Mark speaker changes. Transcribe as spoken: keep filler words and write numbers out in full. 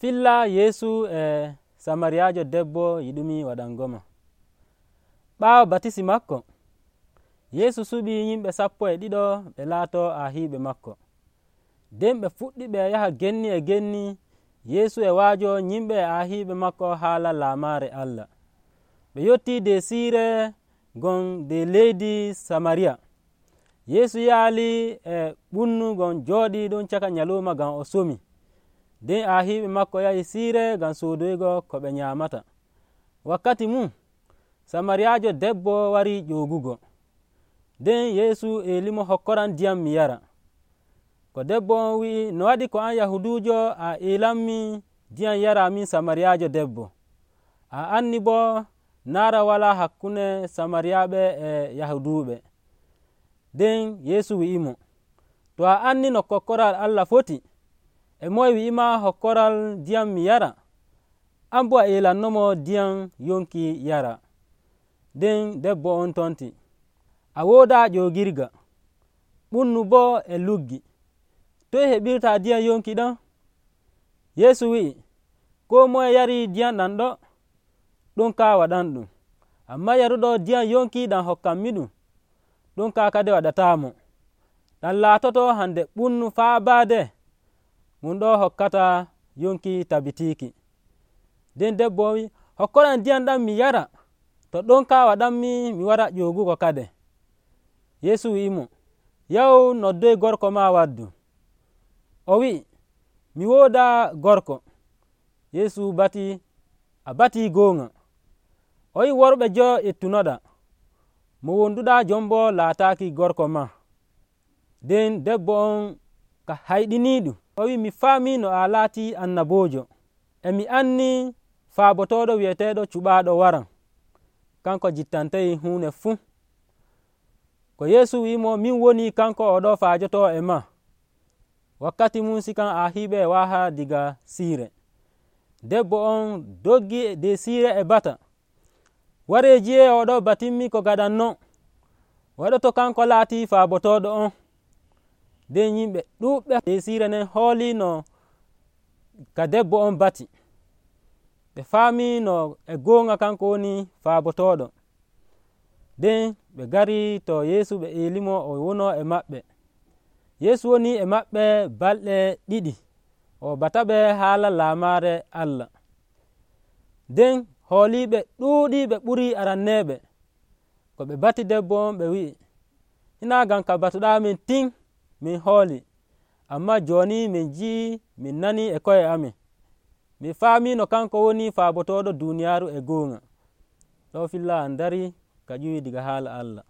Speaker 1: Filla Yeesu e Samariyaajo debbo yiɗumi waɗangoma. Ɓaawo batisi makko, Yeesu suɓii yimɓe sappo e ɗiɗo ɓe laatoo aahiiɓe makko. Nden ɓe fuɗɗi ɓe yaha genni e genni Yeesu e waajo yimɓe e aahiiɓe makko haala laamaare Allah. Ɓe yottii de siire gon de leydi Samariya. Yeesu yaalii e ɓunnu gon jooɗii ɗum caka nyalowma ngam o somi. Nden aahiiɓe makko yahi siire ngam soodoygo ko ɓe nyaamata. Wakkati mum Samariyaajo debbo warii ƴoogugo. Nden Yeesu eelimo hokkoran ndiyam mi yara. Ko debbo on wi'i, no waɗi ko an Yahuduujo a eelanmi ndiyam yara min Samariyaajo debbo? A anni boo naara walaa hakkunde Samariyaaɓe e Yahuduuɓe. Nden Yeesu wi'imo, to a anni no kokkoral Allah foti, e moye wi'ima hokkoral ndiyam mi yara? An boo a eelannomo ndiyam yonki yara. Nden debbo on tonti, a woodaa ƴoogirga, ɓunnu boo e luggi. Toye heɓirta ndiyam yonki ɗon? Yeesu wi'i, koo moye yarii ndiyam ɗam ɗo, ɗum kaa waɗanɗum. Ammaa yaruɗo ndiyam yonki ɗam hokkanmi ɗum, ɗum kaa kadi waɗataamo. Ɗam laatoto hande ɓunnu faabaade, mum ɗo hokkata yonki tabitiiki. Nden debbo wi, hokkoram ndiyam ɗam mi yara, to ɗon kaa waɗanmi mi wara ƴoogugo kade. Yeesu wi'imo, yahu noddoy gorko maa waddu. O wi'i, mi woodaa gorko. Yeesu bati, a batii goonga. O wi'i, worɓe joo ettunoɗaa, mo wonduɗaa jon boo laataaki gorko maa. Nden debbo on ka hayɗiniiɗum. O wi'i, mi faamii no a laatii annaboojo, e mi anni faabotooɗo wi'eteeɗo cuɓaaɗo waran, kanko jittantay huunde fuu. Ko Yeesu wi'imo, min woni kanko oɗo faajotoo e maa. Wakkati mum sikan aahiiɓe e waaha diga siire. Debbo on doggi de siire e bata. Waree jiye oɗo batimmi ko gaɗanno, waɗoto kanko laatii faabotooɗo on. Nden yimɓe ɗuuɓɓe de siire nden hooliino ka debbo on bati. Ɓe faamii no e goonga kanko woni faabotooɗo. Nden ɓe ngarii to Yeesu ɓe eelimo o wonoo e maɓɓe. Yeesu woni e maɓɓe balɗe ɗiɗi, o bataɓe haala laamaare Allah. Nden hooliiɓe ɗuuɗii ɓe ɓurii aranneeɓe. Ko ɓe bati debbo on ɓe wi'i, hinaa ngam ka batuɗaa min tin min hooli, ammaa jooni min nji'i min nanii e ko'e amin. Min faamii no kanko woni faabotooɗo duuniyaaru e goonga. Ɗo filla an darii ka ƴiwi diga haala Allah.